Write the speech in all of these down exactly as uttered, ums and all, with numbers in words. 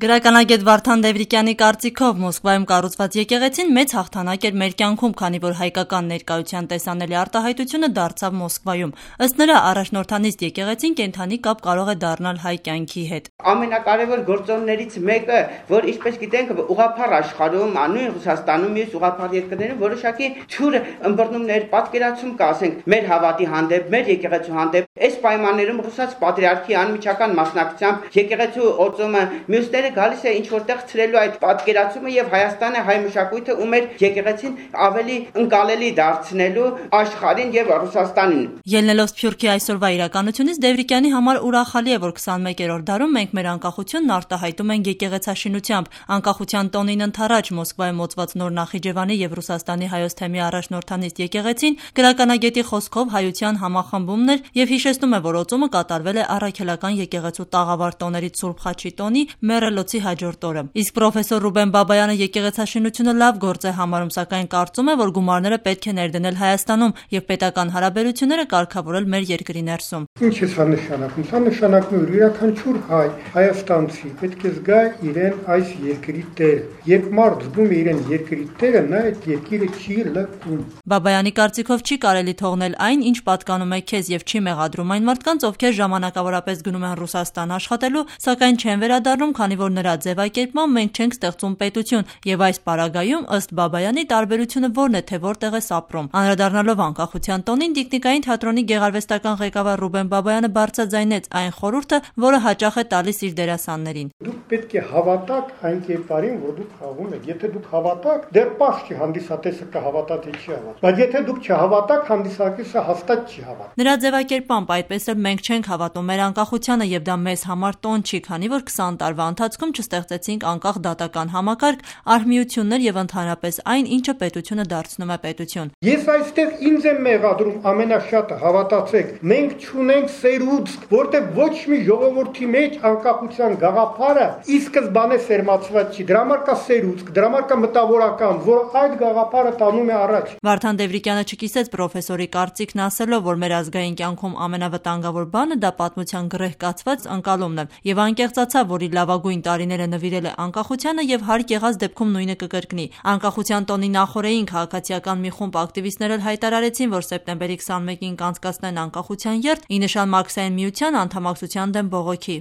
Գրականագետ Վարդան Դևրիկյանի կարծիքով Մոսկվայում կառուցված եկեղեցին մեծ հաղթանակ էր մեր կյանքում, քանի որ հայկական ներկայության տեսանելի արտահայտությունը դարձավ Մոսկվայում։ Ըստ նրա, առաջնորդանիստ եկեղեցին կենդանի կապ կարող է դառնալ հայ կյանքի հետ։ Ամենակարևոր գործոններից մեկը, որ ինչպես գիտենք, ուղղափառ աշխարհում, նույն Ռուսաստանում, մյուս ուղղափառ երկրներում որոշակի թյուր ըմբռնումներ, պատկերացում կա, ասենք, մեր հավատի հանդեպ, մեր եկեղեցու հանդեպ։ Այս պայմաններում ռուսաց պատրիարքի անմիջական մասնակցությամբ եկեղեցու օծումը, մյուսները գալիս է ինչ որտեղ ցրելու այդ պատկերացումը եւ Հայաստանը հայ մշակույթը ու մեր եկեղեցին ավելի ընկալելի դարձնելու աշխարհին եւ Ռուսաստանին։ Ելնելով Սփյուռքի այսօրվա իրականությունից Դևրիկյանի համար ուրախալի է, որ քսանմեկերորդ դարում մենք մեր անկախությունն արտահայտում ենք եկեղեցաշինությամբ։ Անկախության տոնին ընդառաջ Մոսկվայում մոծված նոր Նախիջևանի եւ Ռուսաստանի հայոց թեմի առաջնորդանիստ եկեղեցին գրականագետի խոսքով հայության համախմբումն էր եւ հիշեցնում է, որ օծումը կատարվել է առաքելական եկեղեցու տաղավար տոներից Սուրբ Խաչի տոնի մեռելոցի հաջորդ օրը։ Իսկ պրոֆեսոր Ռուբեն Բաբայանը եկեղեցաշինությունը լավ գործ է համարում, սակայն կարծում է, որ գումարները պետք է ներդնել Հայաստանում եւ պետական հարաբերությունները կարգավորել մեր երկրի ներսում։ Ինչ է սա նշանակում։ Սա նշանակում է, որ յուրաքանչյուր հայ հայաստանցի պետք է զգա իրեն այս երկրի տերը։ Երբ մարդ զգում է իրեն երկրի տերը, նա այդ երկիրը չի լքում։ Բաբայանի կարծիքով չի կարելի թողնել այն, ինչ պատկանում է քեզ եւ չի մեղադրում այն մարդկանց, ովքեր ժամանակավորապես գնում են Ռուսաստան աշխատելու, սակայն չեն վերադառնում, քանի որ նրա ձևակերպմամբ մենք չենք ստեղծում պետություն եւ այս պարագայում ըստ Բաբայանի տարբերությունը որն է, թե որտեղ է ապրում։ Անդրադառնալով անկախության տոնին Տիկնիկային թատրոնի գեղարվեստական ղեկավար Ռուբեն Բաբայանը բարձրաձայնեց այն խորհուրդը, որը հաճախ է տալիս իր դերասաններին։ Դուք պետք է հավատաք այն կերպարին, որ դուք խաղում եք։ Եթե դուք հավատաք, դեռ պահ չի հանդիսատեսը կհավատա թե չի հավատա։ Բայց եթե դուք չհավատաք, հանդիսատեսը հաստատ չի հավատա։ Նրա ձևակերպմամբ այդպես էլ մենք չենք հավատում մեր անկախությանը եւ դա մեզ համար տոն չի, քանի որ քսան տարվա ընթացքում չստեղծեցինք անկախ դատական համակարգ, արհմիություններ եւ ընդհանրապես այն, ինչը պետությունը դարձնում է պետություն։ Ես այստեղ ինձ եմ մեղադրում ամենաշատը, հավատացեք, մենք չունենք սերուցք, որտեղ ոչ մի ժողովրդի մեջ անկախության գաղափարը ի սկզբանե սերմացված չի։ Դրա համար կա սերուցք, դրա համար կա մտավորական, որ այդ գաղափարը տանում է առաջ։ Վարդան Դևրիկյանը չկիսեց պրոֆեսորի կարծիքն ասելով, որ մեր ազգային կյանքում ամենավտանգավոր բանը դա պատմության գրեհ կացված ընկալումն է եւ անկեղծացավ, որ իր լավագույն տարիները նվիրել է անկախությանը եւ հարկ եղած դեպքում նույնը կկրկնի։ Անկախության տոնի նախօրեին քաղաքացիական մի խումբ ակտիվիստներ էլ հայտարարեցին, որ սեպտեմբերի քսանմեկին կանցկացնեն անկախության երթ ի նշան Մարքսային միության անդամակցության դեմ բողոքի։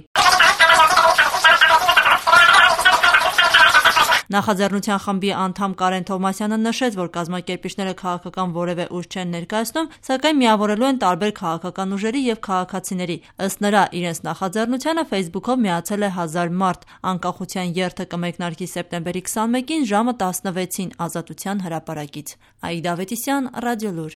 Նախաձեռնության խմբի անդամ Կարեն Թովմասյանը նշեց, որ կազմակերպիչները քաղաքական որևէ ուժ չեն ներկայացնում, սակայն միավորելու են տարբեր քաղաքական ուժերի եւ քաղաքացիների։ Ըստ նրա, իրենց նախաձեռնությանը Facebook-ով միացել է հազար մարդ։ Անկախության երթը կմեկնարկի սեպտեմբերի քսանմեկին ժամը տասնվեցին Ազատության հրապարակից։ Աիդա Ավետիսյան, Ռադիոլուր։